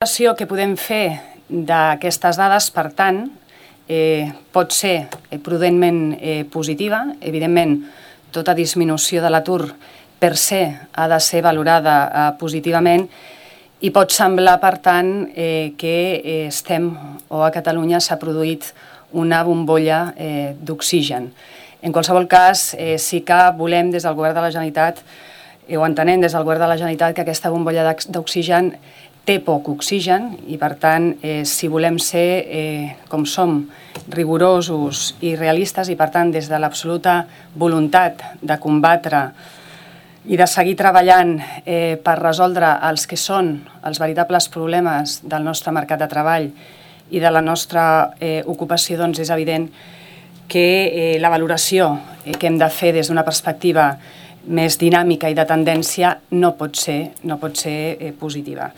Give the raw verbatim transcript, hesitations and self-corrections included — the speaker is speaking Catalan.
La que podem fer d'aquestes dades, per tant, eh, pot ser prudentment eh, positiva. Evidentment, tota disminució de l'atur per se ha de ser valorada eh, positivament i pot semblar, per tant, eh, que eh, estem o a Catalunya s'ha produït una bombolla eh, d'oxigen. En qualsevol cas, eh, sí que volem des del Govern de la Generalitat, eh, ho entenem des del Govern de la Generalitat, que aquesta bombolla d'oxigen té poc oxigen i, per tant, eh, si volem ser, eh, com som, rigorosos i realistes i, per tant, des de l'absoluta voluntat de combatre i de seguir treballant eh, per resoldre els que són els veritables problemes del nostre mercat de treball i de la nostra eh, ocupació, doncs és evident que eh, la valoració eh, que hem de fer des d'una perspectiva més dinàmica i de tendència no pot ser, no pot ser eh, positiva.